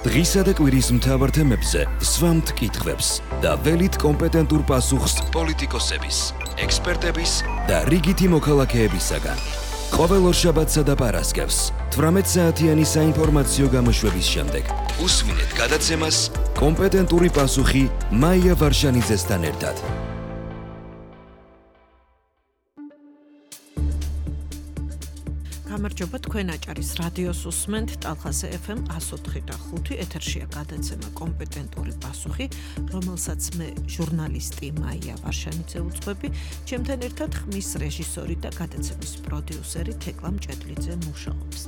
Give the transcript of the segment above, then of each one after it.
დღისა და კვირის მთავარ თემებზე სვამთ კითხვებს და ველით კომპეტენტურ პასუხს პოლიტიკოსების, ექსპერტების და რიგითი მოქალაქეებისაგან. ყოველ ორშაბათსა და პარასკევს 18 საათიანი საინფორმაციო გამოშვების შემდეგ უსმინეთ გადაცემას კომპეტენტური პასუხი მაია ვარშანიძესთან ერთად. გამარჯობა, თქვენ აჭარის რადიოს უსმენთ ტალხაზე FM 104.5 ეთერშია გადაცემა კომპეტენტური პასუხი, რომელსაც მე ჟურნალისტი მაია ვარშანიძე უძღვები, ჩემთან ერთად ხმის რეჟისორი და გადაცემის პროდიუსერი თეკლა მჭედლიძე მუშაობს.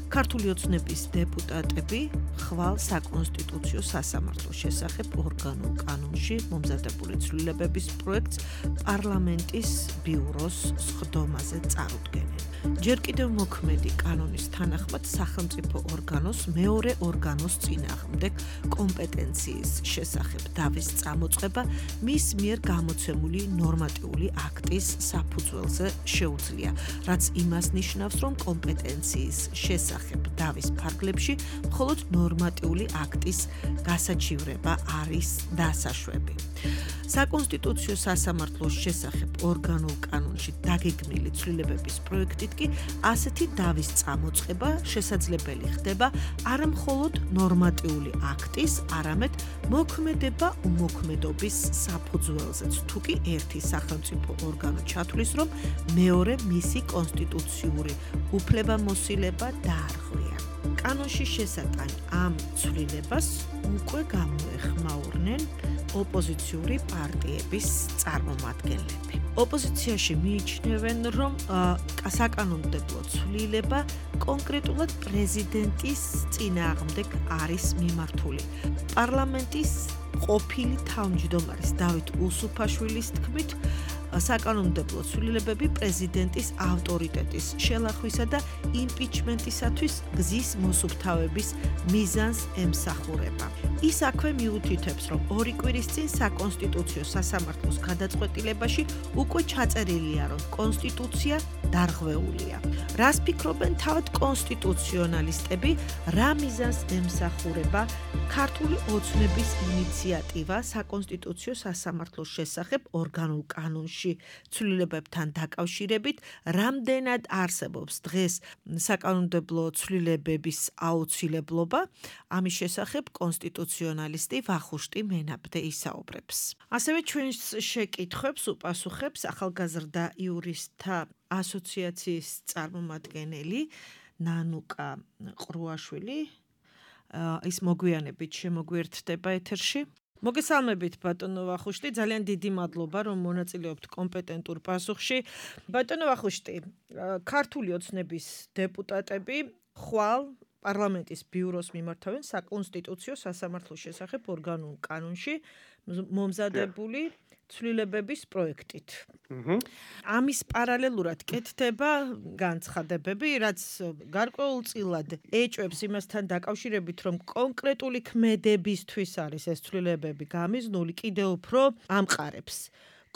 ქართული ოცნების დეპუტატები ხვალ საკონსტიტუციო სასამართლოს შესახებ ორგანულ კანონში მომზადებული ცვლილებების პროექტს პარლამენტის ბიუროს სხდომაზე წარუდგენენ. ჯერ კიდევ მოქმედი კანონის თანახმად სახელმწიფო ორგანოს მეორე ორგანოს წინააღმდეგ კომპეტენციის შესახებ დავის წამოწყება მის მიერ გამოცემული ნორმატიული აქტის საფუძველზე შეუძლია, რაც იმას ნიშნავს, რომ კომპეტენციის შესახებ დავის ფარგლებში მხოლოდ ნორმატიული აქტის გასაჩივრება არის დასაშვები. საკონსტიტუციო სასამართლოს შესახებ ორგანულ კანონში დაგეგმილი ცვლილებების პროექტით კი ასეთი დავის წამოწყება შესაძლებელი ხდება არა მხოლოდ ნორმატიული აქტის, არამედ მოქმედება უმოქმედობის საფუძველზეც, თუკი ერთი სახელმწიფო ორგანო ჩათვლის, რომ მეორე მისი კონსტიტუციური უფლებამოსილება დაარღვია. კანონში შესატანი ამ ცვლილებას უკვე გამოეხმაურნენ ოპოზიციური პარტიების წარმომადგენლები. ოპოზიციაში მიიჩნევენ, რომ საკანონმდებლო ცვლილება კონკრეტულად პრეზიდენტის წინააღმდეგ არის მიმართული. პარლამენტის ყოფილი თავმჯდომარის დავით უსუფაშვილის თქმით, საკანონმდებლო ცვლილებები პრეზიდენტის ავტორიტეტის შელახვისა და იმპიჩმენტისათვის გზის მოსუფთავების მიზანს ემსახურება. ის აქვე მიუთითებს, რომ 2 კვირის წინ საკონსტიტუციო სასამართლოს გადაწყვეტილებაში უკვე ჩაწერილია, რომ კონსტიტუცია დარღვეულია. რას ფიქრობენ თავად კონსტიტუციონალისტები, რა მიზანს ემსახურება ქართული ოცნების ინიციატივა საკონსტიტუციო სასამართლოს შესახებ ორგანულ კანონში ცვლილებებთან დაკავშირებით, რამდენად არსებობს დღეს საკანონმდებლო ცვლილებების აუცილებლობა, ამის შესახებ კონსტიტუციონალისტი ვახუშტი მენაბდე ისაუბრებს. ასევე ჩვენს შეკითხვებს უპასუხებს ახალგაზრდა იურისტთა ასოციაციის წარმომადგენელი ნანუკა ყრუაშვილი. ის მოგვიანებით შემოგვიერთდება ეთერში. მოგესალმებით ბატონო ვახუშტი, ძალიან დიდი მადლობა, რომ მონაწილეობთ კომპეტენტურ პასუხში. ბატონო ვახუშტი, ქართული ოცნების დეპუტატები ხვალ პარლამენტის ბიუროს მიმართავენ საკონსტიტუციო სასამართლოს შესახებ ორგანულ კანონში მომზადებული ცვლილებების პროექტით. ამის პარალელურად კეთდება განცხადებები, რაც გარკვეულწილად ეჭვებს იმასთან დაკავშირებით, რომ კონკრეტული ქმედებისთვის არის ეს ცვლილებები გამიზნული, კიდევ უფრო ამყარებს.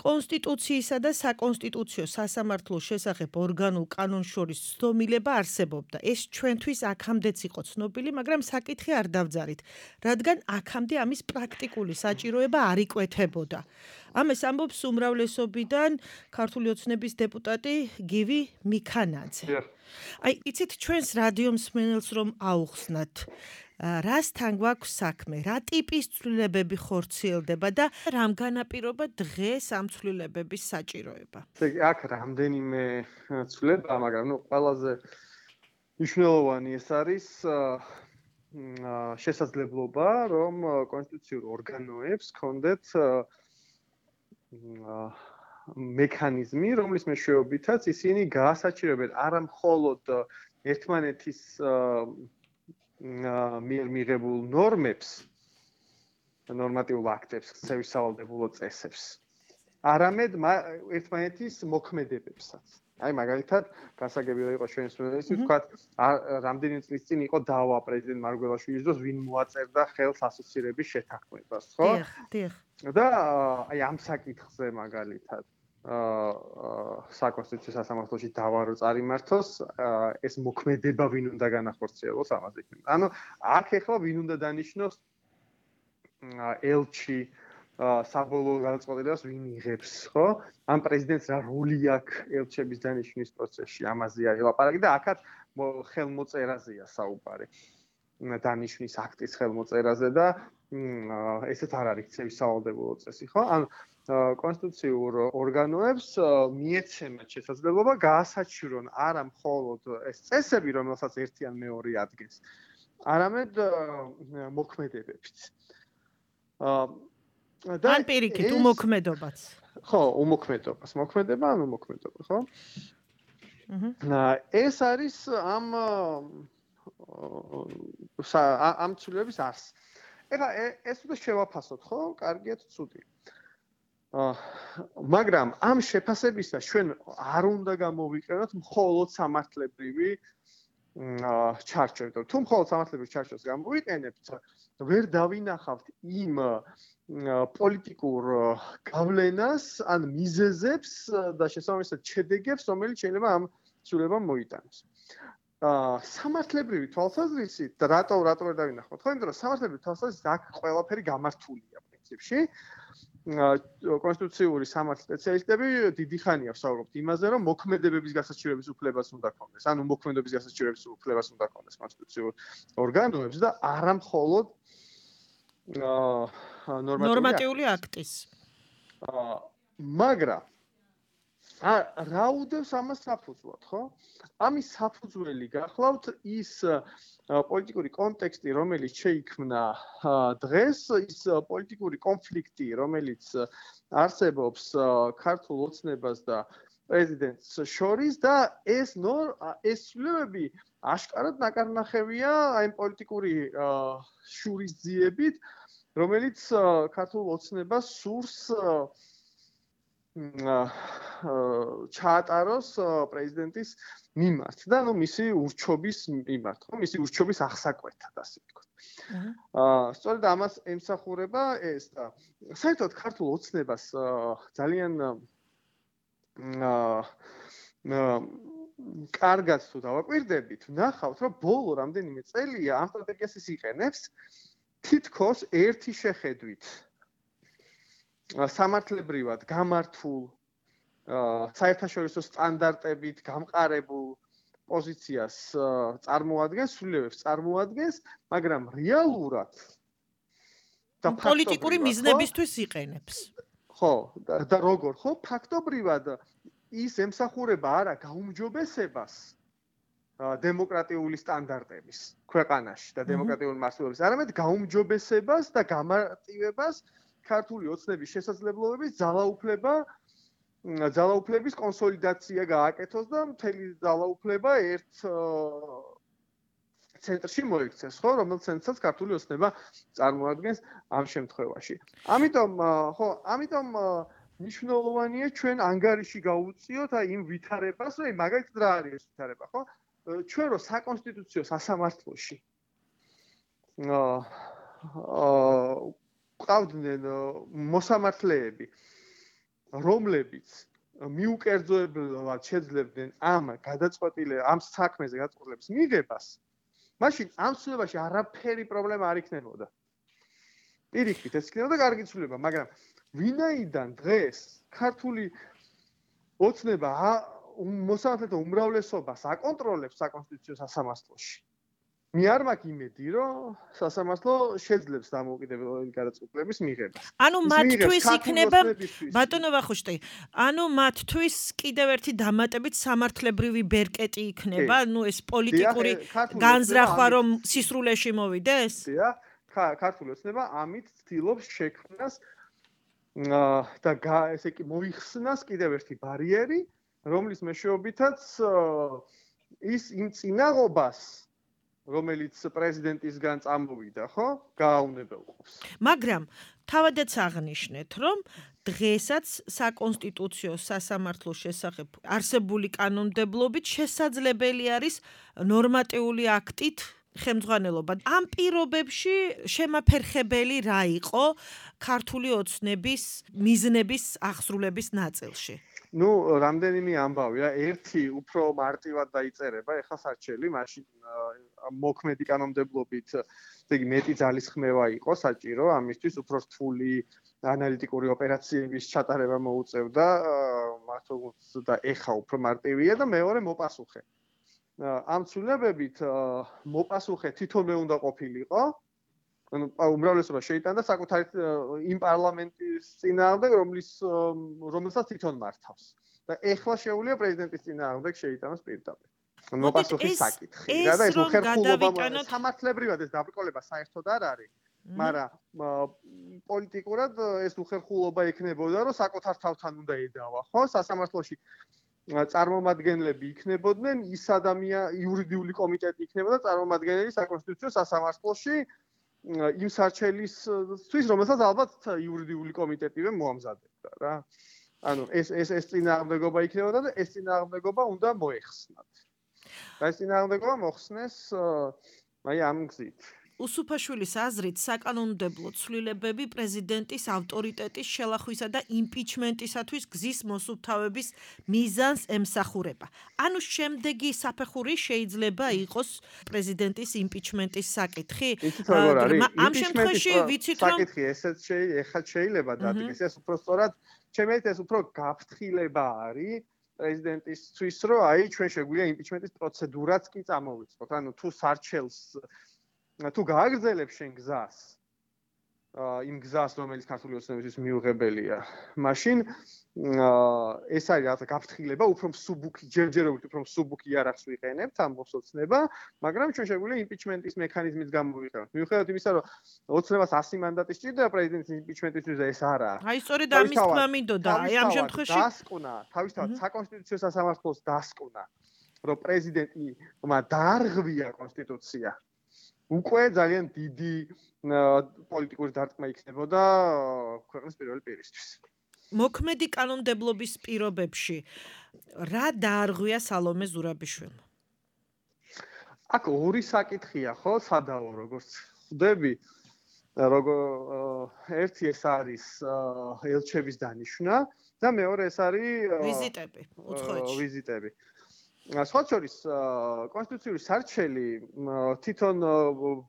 კონსტიტუციისა და საკონსტიტუციო სასამართლოს შესახებ ორგანულ კანონს შორის ცდომილება არსებობდა. ეს ჩვენთვის აქამდეც იყო ცნობილი, მაგრამ საკითხი არ დავძარით, რადგან აქამდე ამის პრაქტიკული საჭიროება არ იკვეთებოდა. ამას ამბობს უმრავლესობიდან ქართული ოცნების დეპუტატი გივი მიქანაძე. იცით, ჩვენს რადიო მსმენელს რომ აუხსნათ, რასთან გვაქვს საქმე, რა ტიპის ცვლილებები ხორციელდება და რამ განაპირობა დღეს ამ ცვლილებების საჭიროება? აქ რამდენიმე ცვლილება, მაგრამ ყველაზე მნიშვნელოვანი ეს არის შესაძლებლობა, რომ კონსტიტუციურ ორგანოებს ჰქონდეთ მექანიზმი, რომლის მეშვეობითაც ისინი გაასაჭიროებენ არა მხოლოდ ერთმანეთის მიერ მიღებულ ნორმებს, ნორმატიულ აქტებს, სევისავალდებულო წესებს, არამედ ერთმანეთის მოქმედებებსაც. აი მაგალითად, გასაგებია იყო ჩვენს უნივერსიტეტში, ვთქვათ, რამდენიმე წლის წინ იყო დავა პრეზიდენტ მარგველაშვილის დროს, ვინ მოაწერდა ხელს ასოცირების შეთანხმებას, ხო? დიახ. და აი ამ საკითხზე მაგალითად საკონსტიტუციო სასამართლოში დავა რო წარიმართოს, ეს მოქმედება ვინ უნდა განახორციელოს ამაზე იქნება. ანუ აქ ახლა ვინ უნდა დანიშნოს ელჩი საბოლოო გადაწყვეტილებას ვინ იღებს, ხო? ამ პრეზიდენტს რა როლი აქვს ელჩების დანიშვნის პროცესში, ამაზე არის ლაპარაკი და აქაც ხელმოწერაზეა საუბარი. დანიშნის აქტის ხელმოწერაზე და ესეც არ არის ცევის სავალდებულო წესი, ხო? ან კონსტიტუციურ ორგანოებს მიეცემათ შესაძლებლობა გაასაჩივრონ არა მხოლოდ ეს წესები, რომელსაც ერთი ან მეორე ადგენს, არამედ მოქმედებებიც. ან პირიქით უმოქმედობაც. ხო, უმოქმედობას, მოქმედება ან უმოქმედობა, ხო? ეს არის ამ ცვლილების არსი. ეხლა ეს უნდა შევაფასოთ, ხო? კარგია თუ ცუდი. მაგრამ ამ შეფასებისას ჩვენ არ უნდა გამოვიყენოთ მხოლოდ სამართლებრივი ჩარჩო. თუ მხოლოდ სამართლებრივ ჩარჩოს გამოვიყენებთ, ვერ დავინახავთ იმ პოლიტიკურ გავლენას ან მიზეზებს და შესაბამისად შედეგებს, რომელიც შეიძლება ამ ცვლილებამ მოიტანოს. სამართლებრივი თვალსაზრისით და რატო ვერ დავინახავთ? ხო, იმიტომ რომ სამართლებრივი თვალსაზრისით აქ ყველაფერი გამართულია პრინციპში. კონსტიტუციური სამართლის სპეციალისტები დიდი ხანია ვსაუბრობთ იმაზე, რომ მოქმედებების გასაჩივრების უფლებას უნდა ქონდეს, ანუ მოქმედების გასაჩივრების უფლებას უნდა ქონდეს კონსტიტუციურ ორგანოებს და არა მხოლოდ ნორმატიული აქტის. მაგრამ რა უდევს ამას საფუძვლად, ხო? ამის საფუძველი გახლავთ ის პოლიტიკური კონტექსტი, რომელიც შეიქმნა დღეს, ის პოლიტიკური კონფლიქტი, რომელიც არსებობს ქართულ ოცნებას და პრეზიდენტს შორის და ეს ცვლილებები აშკარად ნაკარნახევია აი პოლიტიკური შურისძიებით, რომელიც ქართულ ოცნებას სურს ჩაატაროს პრეზიდენტის მიმართ და ნუ მისი ურჩობის მიმართ, ხო, მისი ურჩობის აღსაკვეთად, ასე ვთქვათ. სწორედ ამას ემსახურება ეს და საერთოდ ქართულ ოცნებას ძალიან კარგად თუ დავაკვირდებით, ვნახავთ, რომ ბოლო რამდენიმე წელია ამ სტრატეგიას ის იყენებს თითქოს ერთი შეხედვით. სამართლებრივად გამართულ საერთაშორისო სტანდარტებით გამყარებულ პოზიციას წარმოადგენს, სრულიად წარმოადგენს, მაგრამ რეალურად და პოლიტიკური მიზნებისთვის იყენებს. ხო, და როგორ, ხო, ფაქტობრივად ის ემსახურება არა გაუმჯობესებას დემოკრატიული სტანდარტების ქვეყანაში და დემოკრატიული მასშტაბების, არამედ გაუმჯობესებას და გამარტივებას ქართული ოცნების შესაძლებლობების ძალაუფლების კონსოლიდაცია გააკეთოს და მთელი ძალაუფლება ერთ ცენტრში მოიქცეს, ხო, რომელიც ცენტრსაც ქართული ოცნება წარმოადგენს ამ შემთხვევაში. ამიტომ მნიშვნელოვანია ჩვენ ანგარიში გავუწიოთ აი იმ ვითარებას, აი მაგალითად რა არის ეს ვითარება, ხო? ჩვენ რო საკონსტიტუციო სასამართლოში ყავდნენ მოსამართლეები, რომლებიც მიუკერძოებლად შეძლებდნენ ამ საქმეზე გადაწყვეტილების მიღებას, მაშინ ამ ცვლილებაში არაფერი პრობლემა არ იქნებოდა. პირიქით, ეს იქნებოდა კარგი ცვლილება, მაგრამ ვინაიდან დღეს ქართული ოცნება მოსამართლეთა უმრავლესობას აკონტროლებს საკონსტიტუციო სასამართლოში. მე არ მაქვს იმედი, რომ სასამართლო შეძლებს დამოუკიდებელი გადაწყვეტილების მიღებას. ანუ მათთვის იქნება, ბატონო ვახუშტი, ანუ მათთვის კიდევ ერთი დამატებით სამართლებრივი ბერკეტი იქნება, ანუ ეს პოლიტიკური განზრახვა რომ სისრულეში მოვიდეს? დიახ, ქართული ოცნება ამით ცდილობს შექმნას და ესე იგი მოიხსნას კიდევ ერთი ბარიერი, რომლის მეშვეობითაც ის იმ წინაღობას რომელიც პრეზიდენტისგან წამოვიდა, ხო? გააუნებელყოფს. მაგრამ თავადაც აღნიშნეთ, რომ დღესაც საკონსტიტუციო სასამართლოს შესახებ არსებული კანონმდებლობით შესაძლებელი არის ნორმატიული აქტით ხელმძღვანელობა. ამ პირობებში შემაფერხებელი რა იყო ქართული ოცნების მიზნების აღსრულების ნაწილში? ნუ რამდენიმე ამბავია, ერთი უფრო მარტივად დაიწერება, ეხლა საჩელი, მაშინ მოქმედი კანონმდებლობით, ესე იგი მეტი ძალისხმევა იყო საჭირო, ამისთვის უფრო რთული ანალიტიკური ოპერაციების ჩატარება მოუწევდა, მართლაც და ეხა უფრო მარტივია და მეორე მოპასუხე. ამ ცვლილებებით მოპასუხე თვითონვე უნდა ყოფილიყო. ანუ უმრავლესობა შეიტანდა საკუთარი იმ პარლამენტის წინააღმდეგ, რომელსაც თვითონ მართავს. და ეხლა შეუძლია პრეზიდენტის წინააღმდეგ შეიტანოს პირდაპირ. მოპასუხის საკითხი. და ეს ხერხულობა სამართლებრივად ეს დაბრკოლება საერთოდ არ არის. მაგრამ პოლიტიკურად ეს უხერხულობა იქნებოდა, რომ საკუთარ თავთან უნდა ედავა, ხო? სასამართლოში წარმომადგენლები იქნებოდნენ, ის იურიდიული კომიტეტი იქნებოდა წარმომადგენელი საკონსტიტუციო სასამართლოში იმ სარჩელისთვის, რომელსაც ალბათ იურიდიული კომიტეტივე მოამზადებდა რა. ანუ ეს წინააღმდეგობა იქნებოდა და ეს წინააღმდეგობა უნდა მოეხსნათ. და ეს წინააღმდეგობა მოხსნეს ამ გზით. უსუფაშვილის აზრით, საკანონმდებლო ცვლილებები პრეზიდენტის ავტორიტეტის შელახვისა და იმპიჩმენტისათვის გზის მოსუფთავების მიზანს ემსახურება. ანუ შემდეგი საფეხური შეიძლება იყოს პრეზიდენტის იმპიჩმენტის საკითხი? ამ შემთხვევაში ვიცით, რომ საკითხი ესეც შეიძლება დადგეს, ეს უფრო სწორად, ჩემთვის ეს უფრო გაფრთხილება არის პრეზიდენტისთვის, რომ ჩვენ შეგვიძლია იმპიჩმენტის პროცედურაც კი წამოვიწყოთ. ანუ თუ სარჩელს თუ გააგრძელებს შენ გზას, იმ გზას, რომელიც ქართული ოცნებისთვის მიუღებელია, მაშინ ეს არის რაღაცა გაფრთხილება, უფრო მსუბუქი, ჯერჯერობით უფრო მსუბუქი იარაღს ვიყენებთ ამ ოცნება, მაგრამ ჩვენ შეგვიძლია იმპიჩმენტის მექანიზმით გამოვიყენოთ. მიუხედავად იმისა, რომ ოცნებას 100 მანდატი სჭირდება პრეზიდენტის იმპიჩმენტისთვის და ეს არა. აი სწორედ ამის თქმა მინდოდა, აი ამ შემთხვევაში დასკვნა, თავისთავად საკონსტიტუციო სასამართლოს დასკვნა, რომ პრეზიდენტმა დაარღვია კონსტიტუცია. უკვე ძალიან დიდი პოლიტიკური დარტყმა იქნებოდა ქვეყნის პირველი პირისთვის. მოქმედი კანონმდებლობის პირობებში რა დაარღვია სალომე ზურაბიშვილმა? აქ ორი საკითხია, ხო, სადაო, როგორც ხვდები, ერთი ეს არის ელჩების დანიშვნა და მეორე ეს არის ვიზიტები, უცხოეთში. ვიზიტები. სხვა შორის კონსტიტუციური სარჩელი თვითონ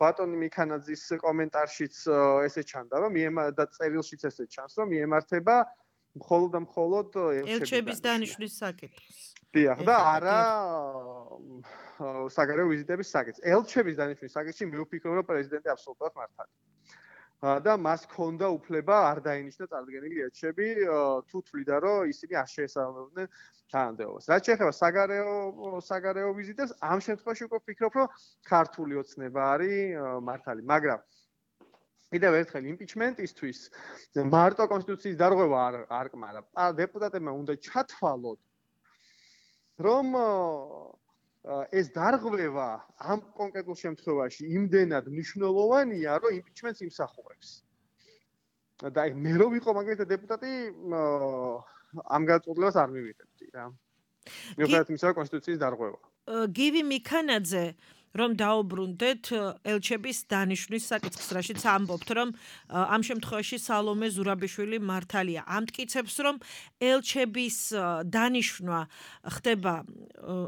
ბატონი მიქანაძის კომენტარშიც ესე ჩანდა, რომ და წერილშიც ესე ჩანს, რომ მიემართება მხოლოდ და მხოლოდ ელჩების დანიშვნის საკითხს. დიახ, და არა საგარეო ვიზიტების საკითხს. ელჩების დანიშვნის საკითხში მე ვფიქრობ, რომ პრეზიდენტი აბსოლუტურად მართალია. და მას ჰქონდა უფლება არ დაინიშნა წარდგენილი ელჩები, თუ თვლიდა, რომ ისინი არ შეესაბამებოდნენ თანამდებობას. რაც შეეხება საგარეო ვიზიტებს, ამ შემთხვევაში უკვე ვფიქრობ, რომ ქართული ოცნება არის მართალი, მაგრამ კიდევ ერთხელ იმპიჩმენტისთვის მარტო კონსტიტუციის დარღვევა არ კმარა. დეპუტატებმა უნდა ჩათვალოთ, რომ ეს დარღვევა ამ კონკრეტულ შემთხვევაში იმდენად მნიშვნელოვანია, რომ იმპიჩმენტს იმსახურებს. და მე რო ვიყო მაგალითად დეპუტატი, ამ გადაწყვეტილებას არ მივიღებდი რა. მიუხედავად იმისა, რომ კონსტიტუციის დარღვევა. გივი მიქანაძე რომ დაუბრუნდეთ ელჩების დანიშვნის საკითხს, რაშიც ამბობთ, რომ ამ შემთხვევაში სალომე ზურაბიშვილი მართალია. ამტკიცებს, რომ ელჩების დანიშვნა ხდება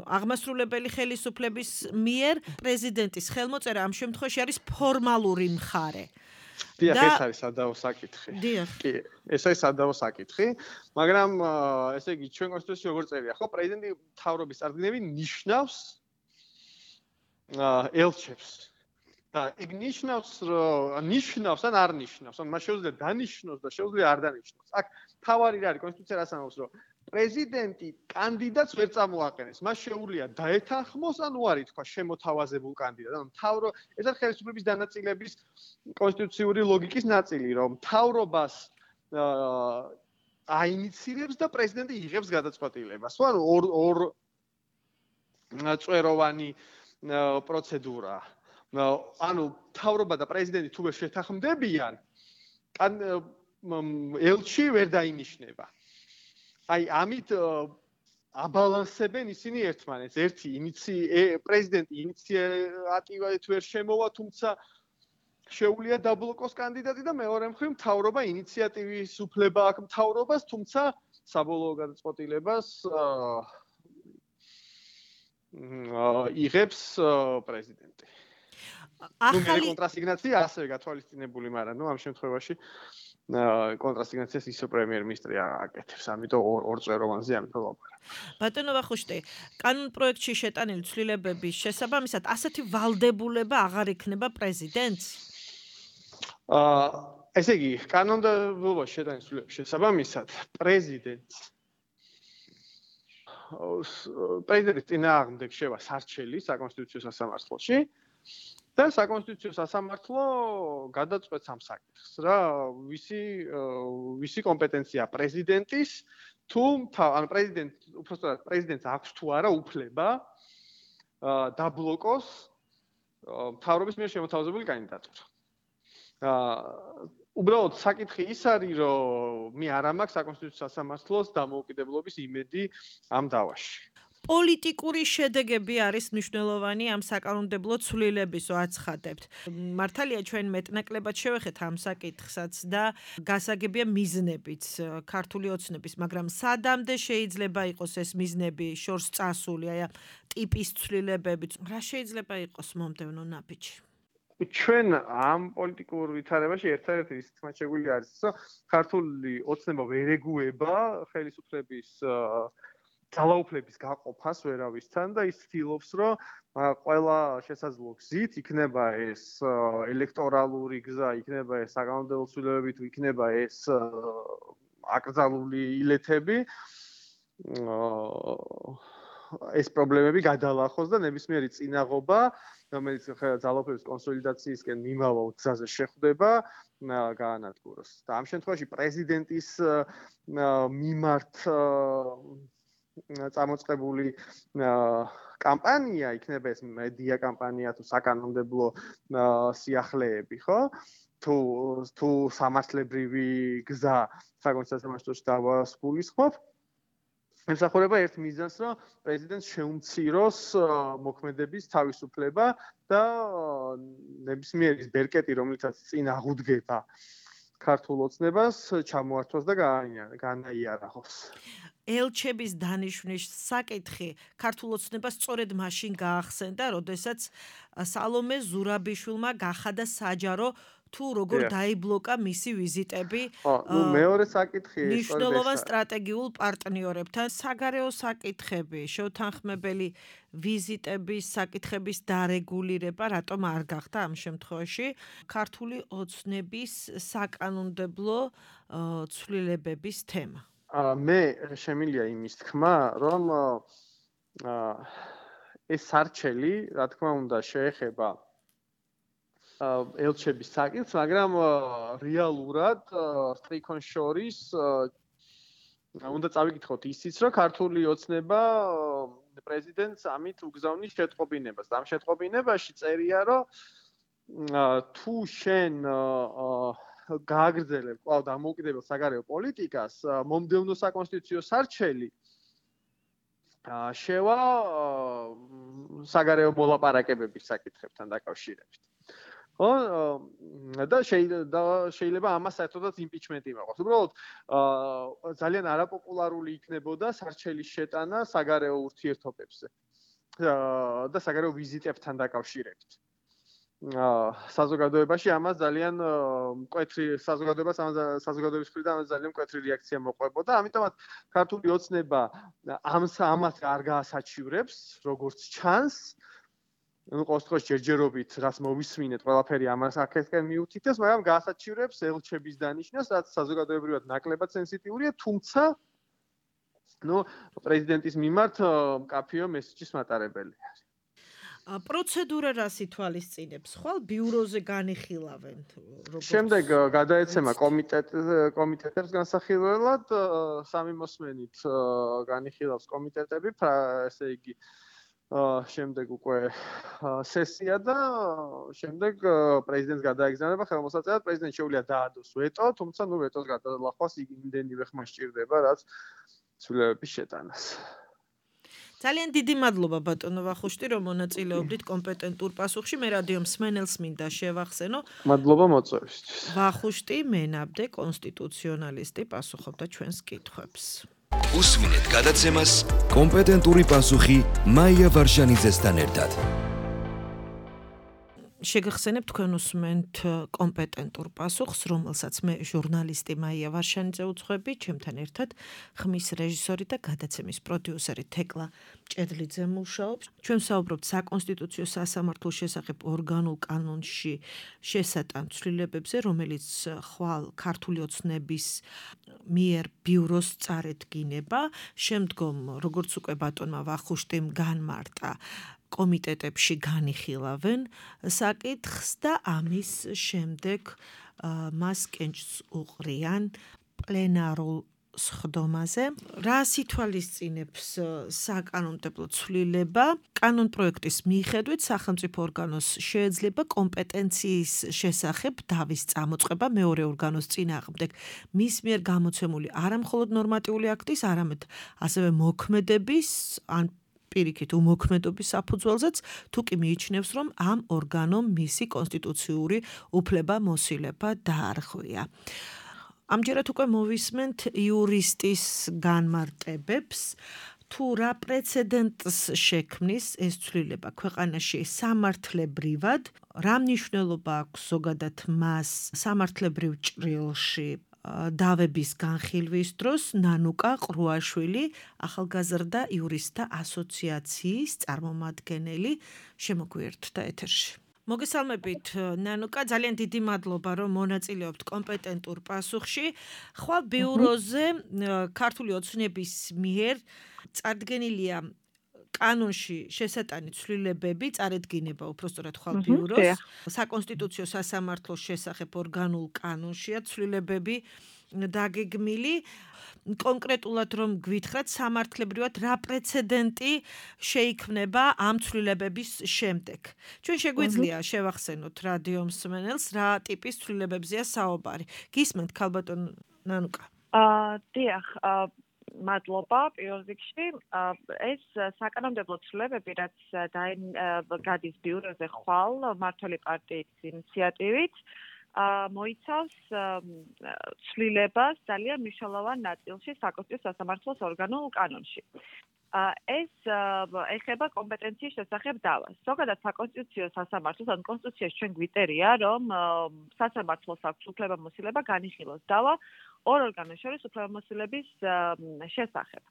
აღმასრულებელი ხელისუფლების მიერ, პრეზიდენტის ხელმოწერა ამ შემთხვევაში არის ფორმალური მხარე. დიახ, ეს არის სადავო საკითხი. კი, ეს არის სადავო საკითხი, მაგრამ ესე იგი ჩვენ კონსტიტუციაში როგორ წერია, ხო, პრეზიდენტი მთავრობის წარდგენები ნიშნავს ელჩებს. და იქ ნიშნავს ან არ ნიშნავს, ან მას შეუძლია დანიშნოს და შეუძლია არ დანიშნოს. აქ თავარი რა არის კონსტიტუცია რას ამბობს, რომ პრეზიდენტი კანდიდატს ვერ წამოაყენებს. მას შეუძლია დაეთანხმოს, ან უარი თქვა შემოთავაზებულ კანდიდატს. ანუ ეს არის ხელისუფლების დანაწილების კონსტიტუციური ლოგიკის ნაწილი, რომ მთავრობას აინიცირებს და პრეზიდენტი იღებს გადაწყვეტილებას. ანუ ორ წვეროვანი პროცედურა. ანუ მთავრობა და პრეზიდენტი თუ ვერ შეთანხმდებიან, ელჩი ვერ დაინიშნება. აი ამით აბალანსებენ ისინი ერთმანეთს. ერთი პრეზიდენტი ინიციატივით ვერ შემოვა, თუმცა შეუძლია დაბლოკოს კანდიდატი და მეორე მხრივ მთავრობა ინიციატივის უფლება აქვს მთავრობას, თუმცა საბოლოო გადაწყვეტილებას იღებს პრეზიდენტი. ახალი კონტრასიგნაცია ასევე გათვალისწინებული, მაგრამ ამ შემთხვევაში კონტრასიგნაციას ისო პრემიერ-მინისტრი აკეთებს, ამიტომ ორწვეროვანზე ამიტომ ვაპარაკ. ბატონო ვახუშტი, კანონ პროექტში შეტანილი ცვლილებების შესაბამისად ასეთი ვალდებულება აღარ იქნება პრეზიდენტს? ესე იგი, კანონმდებლობაში შეტანილი ცვლილებების შესაბამისად პრეზიდენტს პრეზიდენტის წინააღმდეგ შევა სარჩელი საკონსტიტუციო სასამართლოში და საკონსტიტუციო სასამართლო გადაწყვეტს ამ საკითხს, რა ვისი კომპეტენცია პრეზიდენტის თუ ანუ პრეზიდენტს აქვს თუ არა უფლება დაბლოკოს მთავრობის მიერ შემოთავაზებული კანდიდატურა. უბრალოდ საკითხი ის არის, რომ მე არ მაქვს საკონსტიტუციო სასამართლოს დამოუკიდებლობის იმედი ამ დავაში. პოლიტიკური შედეგები არის მნიშვნელოვანი ამ საკანონმდებლო ცვლილებისო აცხადებთ. მართალია ჩვენ მეტნაკლებად შევეხეთ ამ საკითხსაც და გასაგებია მიზნებიც ქართული ოცნების, მაგრამ სადამდე შეიძლება იყოს ეს მიზნები შორს წასული, აი ტიპის ცვლილებებით, რა შეიძლება იყოს მომდევნო ნაბიჯი? ჩვენ ამ პოლიტიკურ ვითარებაში ერთადერთი ის თქმაჩებული არის, რომ ქართული ოცნება ვერ ეგუება ხელისუფლების ძალაუფლების გაყოფას ვერავისთან და ის ცდილობს, რომ ყველა შესაძლო გზით იქნება ეს ელექტორალური გზა, იქნება ეს საკანონმდებლო ცვლილებები, თუ იქნება ეს აკრძალული ილეთები, ეს პრობლემები გადალახოს და ნებისმიერი წინაღობა, რომელიც ძალაუფლების კონსოლიდაციისკენ მიმავალ გზაზე შეხვდება, გაანადგუროს. და ამ შემთხვევაში პრეზიდენტის მიმართ წამოწყებული კამპანია, იქნება ეს მედია კამპანია თუ საკანონმდებლო სიახლეები, ხო? თუ სამართლებრივი გზა საკონსტიტუციო სასამართლოში დავასრულისხმობ, ემსახურება ერთ მიზანს, რომ პრეზიდენტს შეუმციროს მოქმედების თავისუფლება და ნებისმიერი ბერკეტი, რომლითაც წინ აღუდგება ქართულ ოცნებას, ჩამოართვას და განაიარაღოს. ელჩების დანიშვნის საკითხი ქართულ ოცნებას სწორედ მაშინ გაახსენდა, როდესაც სალომე ზურაბიშვილმა გახადა საჯარო თუ როგორ დაიბლოკა მისი ვიზიტები მეორე საკითხი მნიშვნელოვან სტრატეგიულ პარტნიორებთან, საგარეო საკითხები, შეთანხმებელი ვიზიტების საკითხების დარეგულირება რატომ არ გახდა ამ შემთხვევაში ქართული ოცნების საკანონმდებლო ცვლილებების თემა? მე შემილია იმის თქმა, რომ ეს სარჩელი, რა თქმა უნდა, შეეხება ელჩების საკითხს, მაგრამ რეალურად სტრიქონ შორის უნდა წავიკითხოთ ისიც, რომ ქართული ოცნება პრეზიდენტს ამით უგზავნის შეტყობინებას. ამ შეტყობინებაში წერია, რომ თუ შენ გააგრძელებ კვლავ დამოუკიდებელ საგარეო პოლიტიკას, მომდევნო საკონსტიტუციო სარჩელი შევა საგარეო მოლაპარაკებების საკითხებთან დაკავშირებით. ხო და შეიძლება ამას საერთოდაც იმპიჩმენტი მოყოს. უბრალოდ ძალიან არაპოპულარული იქნებოდა სარჩელის შეტანა საგარეო ურთიერთობებზე და საგარეო ვიზიტებთან დაკავშირებით. საზოგადოებაში ამას ძალიან მკვეთრი საზოგადოების მხრიდან ძალიან მკვეთრი რეაქცია მოყვებოდა. ამიტომაც ქართული ოცნება ამას არ გაასაჩივრებს, როგორც ჩანს. ყოველ შემთხვევაში ჯერჯერობით რაც მოვისმინეთ, ყველაფერი ამას აქეთკენ მიუთითებს, მაგრამ გაასაჩივრებს ელჩების დანიშნას, რაც საზოგადოებრივად ნაკლებად სენსიტიურია, თუმცა პრეზიდენტის მიმართ მკაფიო მესიჯის მატარებელი არის. პროცედურა რას ითვალისწინებს? ხვალ ბიუროზე განიხილავენ როგორც შემდეგ გადაეცემა კომიტეტებს განსახილველად, სამი მოსმენით განიხილავს კომიტეტები, ესე იგი შემდეგ უკვე სესია და შემდეგ პრეზიდენტს გადაეგზავნება ხელმოსაწვევად, პრეზიდენტს შეუძლია დაადოს ვეტო, თუმცა ვეტოს გადალახვას იმდენივე ხმა სჭირდება, რაც ცვლილებების შეტანას. ძალიან დიდი მადლობა ბატონო ვახუშტი, რომ მონაწილეობდით კომპეტენტურ პასუხში. მე რადიო მსმენელს მინდა შევახსენო. მადლობა მოწვევისთვის. ვახუშტი მენაბდე კონსტიტუციონალისტი პასუხობდა ჩვენს კითხვებს. უსმინეთ გადაცემას კომპეტენტური პასუხი მაია ვარშანიძესთან ერთად. შეგახსენებ თქვენ უსმენთ კომპეტენტურ პასუხს, რომელსაც მე ჟურნალისტი მაია ვარშანიძე უძღვები, ჩემთან ერთად ხმის რეჟისორი და გადაცემის პროდიუსერი თეკლა მჭედლიძე მუშაობს. ჩვენ ვსაუბრობთ საკონსტიტუციო სასამართლოს შესახებ ორგანულ კანონში შესატან ცვლილებებზე, რომელიც ხვალ ქართული ოცნების მიერ ბიუროს წარედგინება, შემდგომ როგორც უკვე ბატონმა ვახუშტიმ განმარტა კომიტეტებში განიხილავენ საკითხს და ამის შემდეგ მას კენჭს უყრიან პლენარულ სხდომაზე. რას ითვალისწინებს საკანონმდებლო ცვლილება? კანონპროექტის მიხედვით სახელმწიფო ორგანოს შეეძლება კომპეტენციის შესახებ დავის წამოწყება მეორე ორგანოს წინააღმდეგ მის მიერ გამოცემული არა მხოლოდ ნორმატიული აქტის, არამედ ასევე მოქმედების ან პირიქით უმოქმედობის საფუძველზეც, თუ კი მიიჩნევს, რომ ამ ორგანომ მისი კონსტიტუციური უფლება-მოსილება დაარღვია. ამჯერად უკვე მოვისმენთ იურისტის განმარტებებს, თუ რა პრეცედენტს შექმნის ეს ცვლილება ქვეყანაში სამართლებრივად, რა მნიშვნელობა აქვს ზოგადად მას სამართლებრივ ჭრილში დავების განხილვის დროს ნანუკა ყრუაშვილი, ახალგაზრდა იურისტთა ასოციაციის წარმომადგენელი შემოგვიერთდა ეთერში. მოგესალმებით ნანუკა, ძალიან დიდი მადლობა რომ მონაწილეობთ კომპეტენტურ პასუხში. ხვალ ბიუროზე ქართული ოცნების მიერ წარდგენილია კანონში შესატანი ცვლილებები, წარედგინება უпростоრად ხვალ ბიუროს, საკონსტიტუციო სასამართლოს შესახებ ორგანულ კანონშია ცვლილებები დაგეგმილი. კონკრეტულად რომ გვითხრათ, სამართლებრივად რა პრეცედენტი შეიქმნება ამ ცვლილებების შემდეგ. ჩვენ შეგვიძლია შევახსენოთ რადიო მსმენელს, რა ტიპის ცვლილებებზეა საუბარი. გისმენთ ქალბატონ ნანუკა? დიახ, მადლობა პირველ რიგში. ეს საკანონმდებლო ცვლილებები, რაც გადის ბიუროზე ხვალ მმართველი პარტიის ინიციატივით, მოიცავს ცვლილებას ძალიან მნიშვნელოვან ნაწილში საკონსტიტუციო სასამართლოს ორგანულ კანონში. ეს ეხება კომპეტენციის შესახებ დავას. ზოგადად საკონსტიტუციო სასამართლოს ან კონსტიტუციაში ჩვენ გვიწერია, რომ სასამართლოს აქვს უფლება-მოსილება განიხილოს დავა ორ ორგანოს შორის უფლება-მოსილების შესახებ.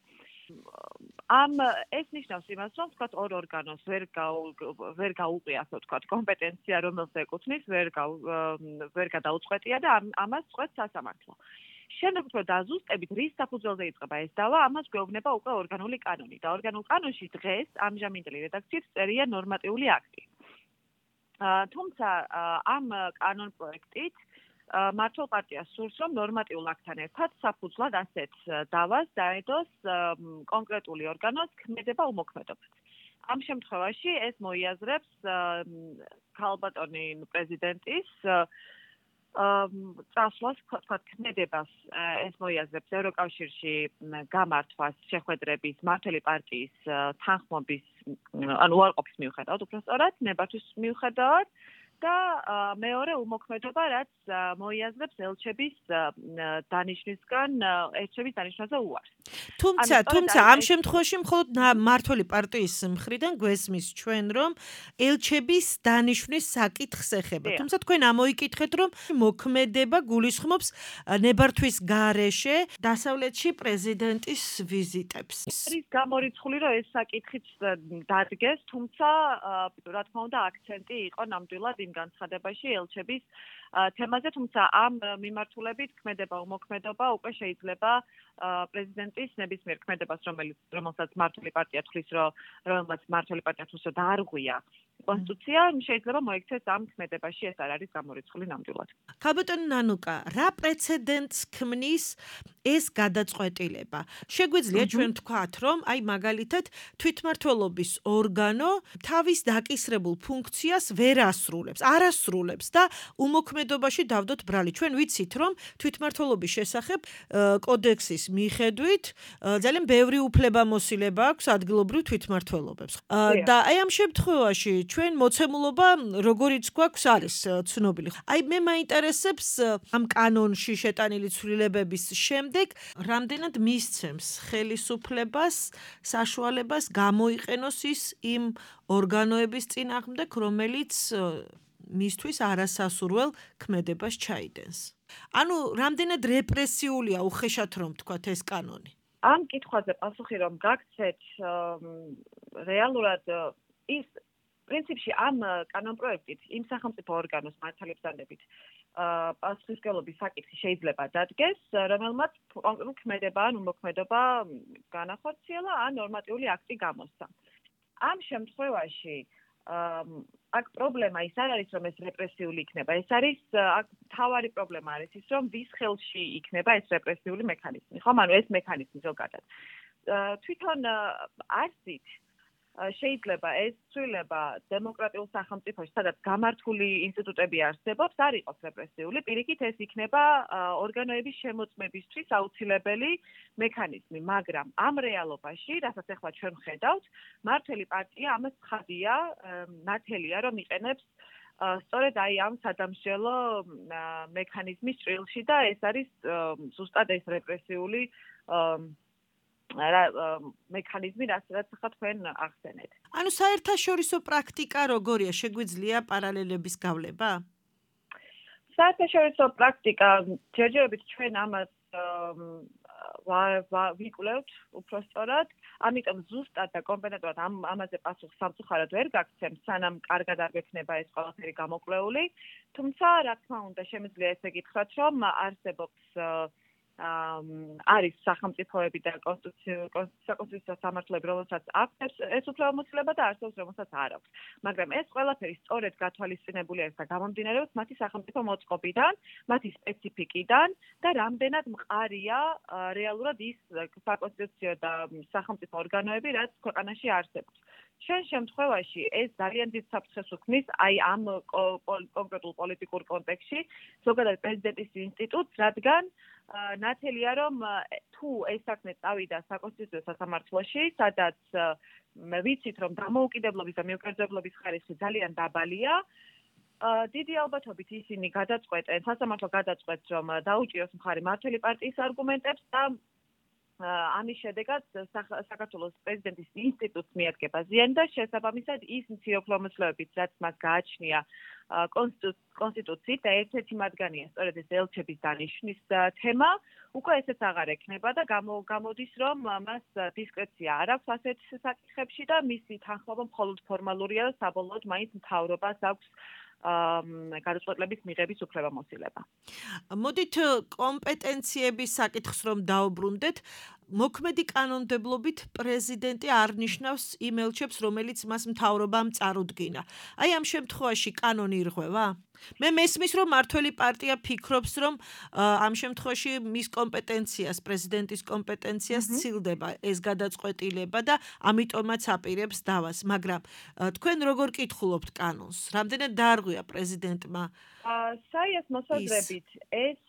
ეს ნიშნავს იმას, რომ თქვათ ორ ორგანოს ვერ გაუყია, ასე ვთქვათ, კომპეტენცია, რომელსაც ეკუთვნის, ვერ გადაუწყვეტია და ამას წყვეტს სასამართლო. შემდეგ უფრო დაზუსტებით, რის საფუძველზე იწყება ეს დავა, ამას გვეუბნება უკვე ორგანული კანონი და ორგანულ კანონში დღეს ამჟამინდელი რედაქციით წერია ნორმატიული აქტი. თუმცა ამ კანონპროექტით მმართველ პარტიას სურს, რომ ნორმატიულ აქტთან ერთად საფუძვლად ასეთ დავას დაედოს კონკრეტული ორგანოს ქმედება-უმოქმედობა. ამ შემთხვევაში ეს მოიაზრებს ქალბატონი პრეზიდენტის წასვლას, თქვათ, ქმედებას ეს მოიაზრებს ევროკავშირში გამართვას, შეხვედრების, მმართველი პარტიის თანხმობის, ანუ უარყოფის მიუხედავად, უпростоრად, ნებართვის მიუხედავად და მეორე უმოქმედობა, რაც მოიაზრებს ელჩების დანიშვნისგან, ელჩების დანიშვნაზე უარს. თუმცა ამ შემთხვევაში მხოლოდ მმართველი პარტიის მხრიდან გვესმის ჩვენ, რომ ელჩების დანიშვნის საკითხს ეხება. თუმცა თქვენ ამოიკითხეთ, რომ მოქმედება გულისხმობს ნებართვის გარეშე დასავლეთში პრეზიდენტის ვიზიტებს. არის გამორიცხული, რომ ეს საკითხიც დადგეს, თუმცა რა თქმა უნდა აქცენტი იყო ნამდვილად იმ განცხადებაში ელჩების თემაზე, თუმცა ამ მიმართულებით ქმედება-უმოქმედობა უკვე შეიძლება პრეზიდენტის ნებისმიერ ქმედებას, რომელსაც მმართველი პარტია თვლის, რომ დაარღვია კონსტიტუცია, შეიძლება მოიქცეს ამ ქმედებაში, ეს არ არის გამორიცხული ნამდვილად. ქალბატონ ნანუკა, რა პრეცედენტს ქმნის ეს გადაწყვეტილება? შეგვიძლია ჩვენ ვთქვათ, რომ აი მაგალითად თვითმმართველობის ორგანო თავის დაკისრებულ ფუნქციას ვერ არასრულებს და უმოქმედობაში დავდოთ ბრალი. ჩვენ ვიცით, რომ თვითმმართველობის შესახებ კოდექსის მიხედვით ძალიან ბევრი უფლება-მოსილება აქვს ადგილობრივ თვითმმართველობებს. და აი ამ შემთხვევაში ჩვენ მოცემულობა როგორიც გვაქვს არის ცნობილი. აი მე მაინტერესებს ამ კანონში შეტანილი ცვლილებების შემდეგ რამდენად მისცემს ხელისუფლებას საშუალებას გამოიყენოს ის იმ ორგანოების წინააღმდეგ, რომელიც მისთვის არასასურველ ქმედებას ჩაიდენს. ანუ რამდენად რეპრესიულია უხეშად რომ თქვათ ეს კანონი. ამ კითხვაზე პასუხი რომ გაგცეთ რეალურად ის პრინციპში ამ კანონპროექტით იმ სახელმწიფო ორგანოს მართლებსადებით პასუხისმგებლობის საკითხი შეიძლება დადგეს, რომელმაც კონკრეტული ქმედება ან უმოქმედობა განახორციელა ან ნორმატიული აქტი გამოსცა. ამ შემთხვევაში აქ პრობლემა ის არ არის რომ ეს რეპრესიული იქნება, ეს არის აქ თავარი პრობლემა არის ის რომ ვის ხელში იქნება ეს რეპრესიული მექანიზმი, ხომ? ანუ ეს მექანიზმი ზოგადად. თვითონ არსით შეიძლება ეს ცვლილება დემოკრატიულ სახელმწიფოში, სადაც გამართული ინსტიტუტები არსებობს, არ იყოს რეპრესიული, პირიქით ეს იქნება ორგანოების შემოწმებისთვის აუცილებელი მექანიზმი, მაგრამ ამ რეალობაში, რასაც ახლა ჩვენ ვხედავთ, მმართველი პარტია ამას ცხადია, ნათელია, რომ იყენებს სწორედ აი ამ სადამსჯელო მექანიზმის ჭრილში და ეს არის ზუსტად ეს რეპრესიული მექანიზმი, რაც ახლა თქვენ ახსენეთ. ანუ საერთაშორისო პრაქტიკა როგორია, შეგვიძლია პარალელების გავლება? საერთაშორისო პრაქტიკა ჯერჯერობით ჩვენ ამას ვიკვლევთ უფრო სწორად, ამიტომ ზუსტად და კომპეტენტურად ამაზე პასუხს სამწუხაროდ ვერ გაგცემ, სანამ კარგად არ გვექნება ეს ყველაფერი გამოკვლეული, თუმცა რა თქმა უნდა შემიძლია ესე გითხრათ, რომ არსებობს არის სახელმწიფოები და საკონსტიტუციო სამართლები, რომელსაც აქვს ეს უფლებამოსილება და არსებობს, რომელსაც არ აქვს. მაგრამ ეს ყველაფერი სწორედ გათვალისწინებული არის და გამომდინარეობს მათი სახელმწიფო მოწყობიდან, მათი სპეციფიკიდან და რამდენად მყარია რეალურად ის საკონსტიტუციო და სახელმწიფო ორგანოები, რაც ქვეყანაში არსებობს. ჩვენ შემთხვევაში ეს ძალიან დიდ საფრთხეს უქმნის აი ამ კონკრეტულ პოლიტიკურ კონტექსტში, ზოგადად პრეზიდენტის ინსტიტუტს, რადგან ნათელია რომ თუ ეს საქმე წავიდა საკონსტიტუციო სასამართლოში, სადაც ვიცით რომ დამოუკიდებლობის და მიუკერძებლობის ხარისხი ძალიან დაბალია, დიდი ალბათობით ისინი გადაწყვეტენ, სასამართლო გადაწყვეტს რომ დაუჭიროს მხარი მმართველი პარტიის არგუმენტებს და ამის შედეგად საქართველოს პრეზიდენტის ინსტიტუტს მიადგება ზიანი და შესაბამისად ის მცირე უფლებამოსილებებით, რაც მას გააჩნია კონსტიტუციით და ერთ-ერთი მათგანია სწორედ ეს ელჩების დანიშვნის თემა, უკვე ესეც აღარ ექნება და გამოდის რომ მას დისკრეცია არ აქვს ასეთ საკითხებში და მისი თანხმობა მხოლოდ ფორმალურია და საბოლოოდ მაინც მთავრობას აქვს გადაწყვეტილების მიღების უფლებამოსილება. მოდით კომპეტენციების საკითხს რომ დაუბრუნდეთ, მოქმედი კანონმდებლობით პრეზიდენტი არ ნიშნავს იმ ელჩებს, რომელიც მას მთავრობამ წარუდგინა. აი ამ შემთხვევაში კანონი ირღვევა? მე მესმის რომ მმართველი პარტია ფიქრობს რომ ამ შემთხვევაში მის კომპეტენციას, პრეზიდენტის კომპეტენციას ცილდება ეს გადაწყვეტილება და ამიტომაც აპირებს დავას, მაგრამ თქვენ როგორ კითხულობთ კანონს? რამდენად დაარღვია პრეზიდენტმა? საიას მოსაზრებით ეს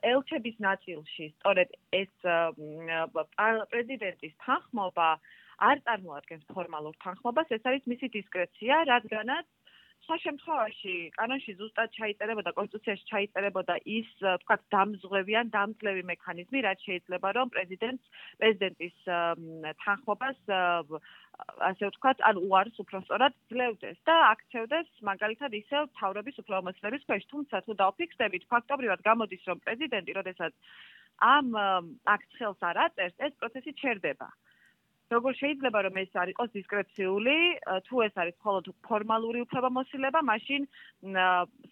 ელჩების ნაწილში, სწორედ ეს პრეზიდენტის თანხმობა არ წარმოადგენს ფორმალურ თანხმობას, ეს არის მისი დისკრეცია, რადგანაც სხვა შემთხვევაში კანონში ზუსტად ჩაიწერებოდა, კონსტიტუციაში ჩაიწერებოდა ის, თქვათ, დამზღვევი ან დამძლევი მექანიზმი, რაც შეიძლება რომ პრეზიდენტის თანხმობას ასე ვთქვათ, ან უარს უფრო სწორად ძლევდეს და აქცევდეს მაგალითად ისევ მთავრობის უფლებამოსილების ქვეშ, თუმცა თუ დავფიქსდებით, ფაქტობრივად გამოდის, რომ პრეზიდენტი, როდესაც ამ აქტს ხელს არ აწერს, ეს პროცესი ჩერდება. როგორ შეიძლება რომ ეს არ იყოს დისკრეციული, თუ ეს არის მხოლოდ ფორმალური უფლებამოსილება, მაშინ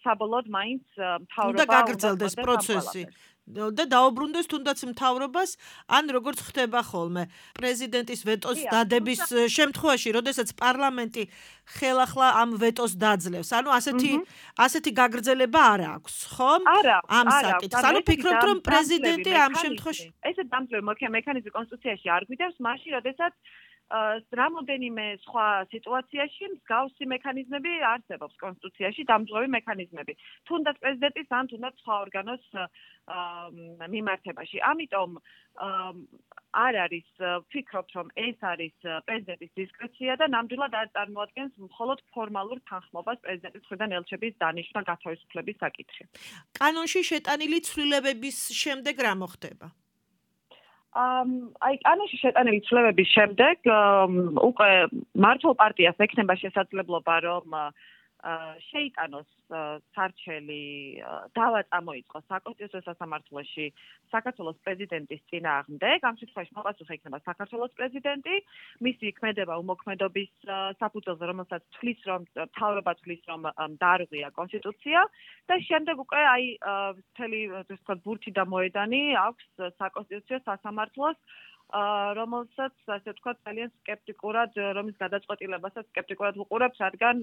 საბოლოოდ მაინც მთავრობა უნდა გაგრძელდეს პროცესი და დაუბრუნდეს თუნდაც მთავრობას, ან როგორც ხდება ხოლმე, პრეზიდენტის ვეტოს დადების შემთხვევაში, როდესაც პარლამენტი ხელახლა ამ ვეტოს დაძლევს. ანუ ასეთი გაგრძელება არ აქვს, ხომ? ამ საკითხს. ანუ ფიქრობთ, რომ პრეზიდენტი ამ შემთხვევაში ესე დამძლევი მექანიზმი კონსტიტუციაში არ გვიდევს, მაშინ, როდესაც რამოდენიმე სხვა სიტუაციაში მსგავსი მექანიზმები არსებობს კონსტიტუციაში, დამძღვევი მექანიზმები. თუნდაც პრეზიდენტის ან თუნდაც სხვა ორგანოს მიმართებაში. ამიტომ არ არის ვფიქრობთ, რომ ეს არის პრეზიდენტის დისკრეცია და ნამდვილად არ წარმოადგენს მხოლოდ ფორმალურ თანხმობას პრეზიდენტის მხრიდან ელჩების დანიშვნა გათავისუფლების საკითხი. კანონში შეტანილი ცვლილებების შემდეგ რა მოხდება? აი კანონში შეტანილი ცვლილებების შემდეგ უკვე მართლ პარტიას ექნება შესაძლებლობა რომ შეიტანოს სარჩელი დავა წამოიწყოს საკონსტიტუციო სასამართლოში საქართველოს პრეზიდენტის წინააღმდეგ. ამ შემთხვევაში მოყოლმე იქნება საქართველოს პრეზიდენტი, მისი ქმედება უმოქმედობის საფუძველზე, რომელსაც თვლის რომ მთავრობა თვლის რომ დაარღვია კონსტიტუცია და შემდეგ უკვე აი მთელი ასე ვთქვათ ბურთი და მოედანი აქვს საკონსტიტუციო სასამართლოს რომელსაც ასე ვთქვათ ძალიან სკეპტიკურად რომის გადაწყვეტილებასაც სკეპტიკურად ვუყურებთ, რადგან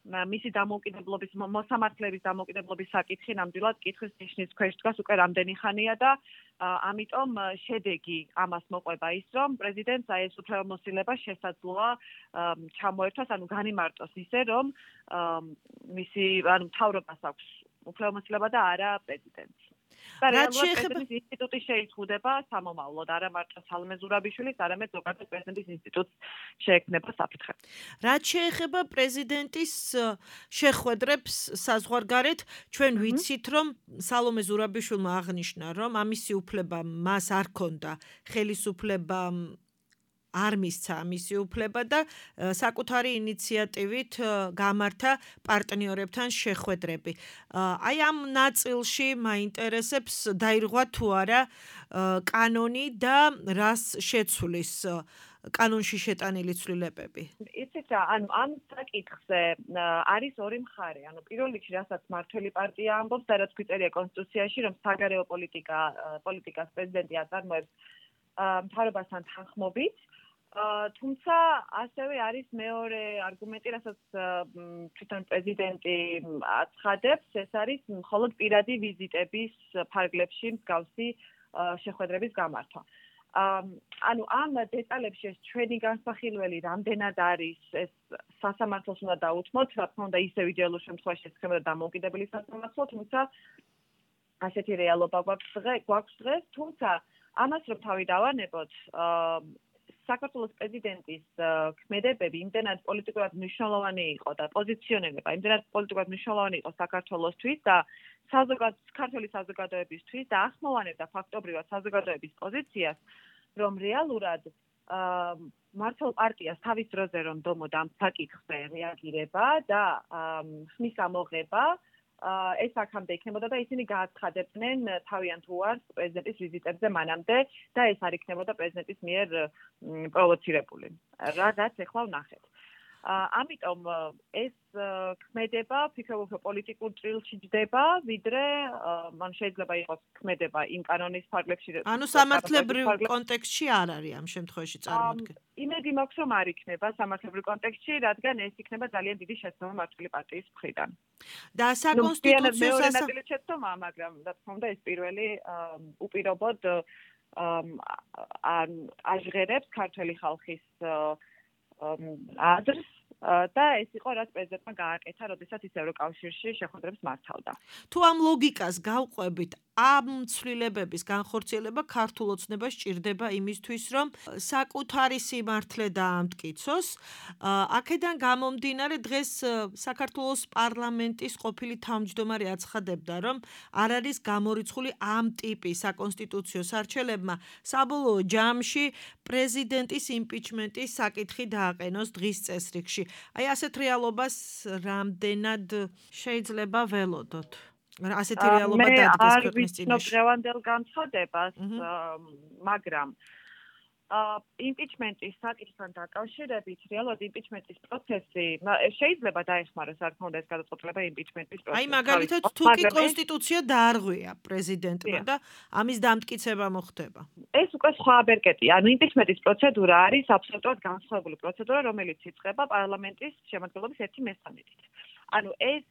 მისი დამოუკიდებლობის მოსამართლეების დამოუკიდებლობის საკითხი ნამდვილად კითხვის ნიშნის ქვეშ დგას უკვე რამდენი ხანია და ამიტომ შედეგი ამას მოყვება ის რომ პრეზიდენტს აი ეს უფლებამოსილება შესაძლოა ჩამოერთვას, ანუ განიმარტოს ისე რომ მისი ანუ მთავრობას აქვს უფლებამოსილება და არა პრეზიდენტს. და რეალურად ინსტიტუტი შეიძღუდება სამომავლოდ, არა მარტო სალომე ზურაბიშვილის, არამედ ზოგადად პრეზიდენტის ინსტიტუტს შეექმნება საფრთხე. რაც შეეხება პრეზიდენტის შეხვედრებს საზღვარგარეთ, ჩვენ ვიცით, რომ სალომე ზურაბიშვილმა აღნიშნა, რომ ამისი უფლება მას არ ჰქონდა ხელისუფლება არ მისცა მისი უფლება და საკუთარი ინიციატივით გამართა პარტნიორებთან შეხვედრები. აი ამ ნაწილში მაინტერესებს დაირღვა თუ არა კანონი და რას შეცვლის კანონში შეტანილი ცვლილებები. იცით რა, ანუ ამ საკითხზე არის ორი მხარე. ანუ პირველ რიგში, რასაც მართველი პარტია ამბობს და რაც გვიწერია კონსტიტუციაში, რომ საგარეო პოლიტიკას პრეზიდენტი აწარმოებს მთავრობასთან თანხმობით. თუმცა ასევე არის მეორე არგუმენტი, რასაც თვითონ პრეზიდენტი აცხადებს, ეს არის მხოლოდ პირადი ვიზიტების ფარგლებში მსგავსი შეხვედრების გამართვა. ანუ ამ დეტალებში ეს ჩვენი განსახილველი რამდენად არის, ეს სასამართლოს უნდა დაუთმოთ, რა თქმა უნდა ისევ იდეალურ შემთხვევაში ეს ხდება დამოუკიდებელი სასამართლო, თუმცა ასეთი რეალობა გვაქვს დღეს, თუმცა ამას რომ თავი დავანებოთ, საქართველოს პრეზიდენტის ქმედებები იმდენად პოლიტიკურად მნიშვნელოვანი იყო და პოზიციონირება იმდენად პოლიტიკურად მნიშვნელოვანი იყო საქართველოსთვის და საქართველოს საზოგადოებისთვის და ახმოვანებდა ფაქტობრივად საზოგადოების პოზიციას, რომ რეალურად მართლ პარტიას თავის დროზე რომ დომოდა ამ საკითხზე რეაგირება და ხმის ამოღება ეს აქამდე იქნებოდა და ისინი გააცხადებდნენ თავიანთ უარს პრეზიდენტის ვიზიტებზე მანამდე და ეს არ იქნებოდა პრეზიდენტის მიერ პროვოცირებული. რაც ეხლა ვნახეთ. ამიტომ ეს ქმედება ფიქრობ რომ პოლიტიკურ ჭრილში ჯდება, ვიდრე მან შეიძლება იყოს ქმედება იმ კანონის ფარგლებში. ანუ სამართლებრივ კონტექსტში არ არის ამ შემთხვევაში წარმოდგენილი. იმედი მაქვს რომ არ იქნება სამართლებრივ კონტექსტში, რადგან ეს იქნება ძალიან დიდი შეცდომა მართლი პარტიის მხრიდან. და საკონსტიტუციო შეცდომა, მაგრამ რა თქმა უნდა ეს პირველი უპირობოდ აჟღერებს ქართული ხალხის აზრს და ეს იყო რაც პრეზიდენტმა გააკეთა, როდესაც ის ევროკავშირში შეხვედრებს მართავდა. თუ ამ ლოგიკას გავყვებით, ამ ცვლილებების განხორციელება ქართულ ოცნებას სჭირდება იმისთვის, რომ საკუთარი სიმართლე დაამტკიცოს. აქედან გამომდინარე, დღეს საქართველოს პარლამენტის ყოფილი თავმჯდომარე აცხადებდა, რომ არ არის გამორიცხული ამ ტიპის საკონსტიტუციო სარჩელებმა საბოლოო ჯამში პრეზიდენტის იმპიჩმენტის საკითხი დააყენოს დღის წესრიგში. აი ასეთ რეალობას რამდენად შეიძლება ველოდოთ? ასეთი რეალობა დადგეს ქვეყნის წინაშე. მე არ ვიცნობ დღევანდელ განცხადებას, მაგრამ იმპიჩმენტის საკითხთან დაკავშირებით რეალურად იმპიჩმენტის პროცესი შეიძლება დაეხმაროს, რა თქმა უნდა ეს გადაწყვეტილება იმპიჩმენტის პროცესი. აი მაგალითად თუ კი კონსტიტუცია დაარღვია პრეზიდენტმა და ამის დამტკიცება მოხდება. ეს უკვე სხვა ბერკეტია. ანუ იმპიჩმენტის პროცედურა არის აბსოლუტურად განსხვავებული პროცედურა, რომელიც იწყება პარლამენტის შემადგენლობის 1/3-ით. ანუ ეს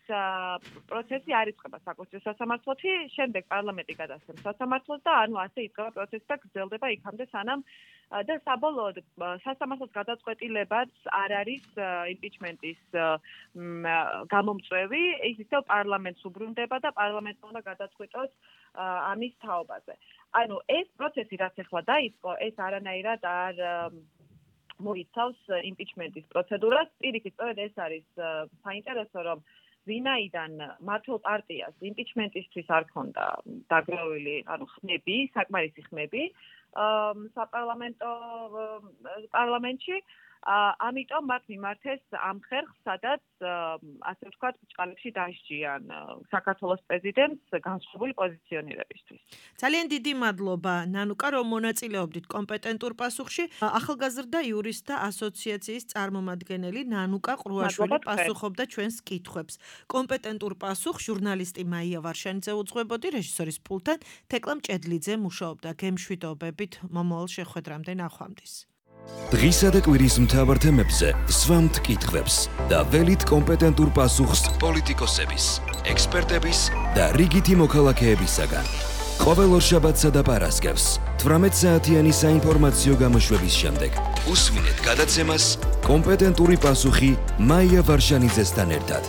პროცესი არ იწყება საკონსტიტუციო სასამართლოში, შემდეგ პარლამენტი გადასცემს სასამართლოს და ანუ ასე იწყება პროცესი და გრძელდება იქამდე სანამ და საბოლოოდ სასამართლოს გადაწყვეტილებაც არ არის იმპიჩმენტის გამომწვევი, ის ისევ პარლამენტს უბრუნდება და პარლამენტმა უნდა გადაწყვიტოს ამის თაობაზე. ანუ ეს პროცესი რაც ახლა დაიწყო, ეს არანაირად არ მოიცავს იმპიჩმენტის პროცედურას. პირიქით, სწორედ ეს არის საინტერესო, რომ ვინაიდან მართლ პარტიას იმპიჩმენტისთვის არ ქონდა დაგროვილი, ანუ ხმები, საკმარისი ხმები საპარლამენტო პარლამენტში, ამიტომ მათ მიმართეს ამ ხერხს, სადაც ასე ვთქვათ, ბრჭყალებში დასჯიან საქართველოს პრეზიდენტს განსხვავებული პოზიციონირებისთვის. ძალიან დიდი მადლობა ნანუკა, რომ მონაწილეობდით კომპეტენტურ პასუხში. ახალგაზრდა იურისტთა ასოციაციის წარმომადგენელი ნანუკა ყრუაშვილი პასუხობდა ჩვენს კითხვებს. კომპეტენტურ პასუხს ჟურნალისტი მაია ვარშანიძე უძღვებოდი, რეჟისორის პულტთან თეკლა მჭედლიძე მუშაობდა. გემშვიდობებით მომავალ შეხვედრამდე ნახვამდის. დღისა და კვირის მთავარ თემებზე სვამთ კითხვებს და ველით კომპეტენტურ პასუხს პოლიტიკოსების, ექსპერტების და რიგითი მოქალაქეებისაგან. ყოველ ორშაბათსა და პარასკევს 18 საათიანი საინფორმაციო გამოშვების შემდეგ უსმინეთ გადაცემას კომპეტენტური პასუხი მაია ვარშანიძესთან ერთად.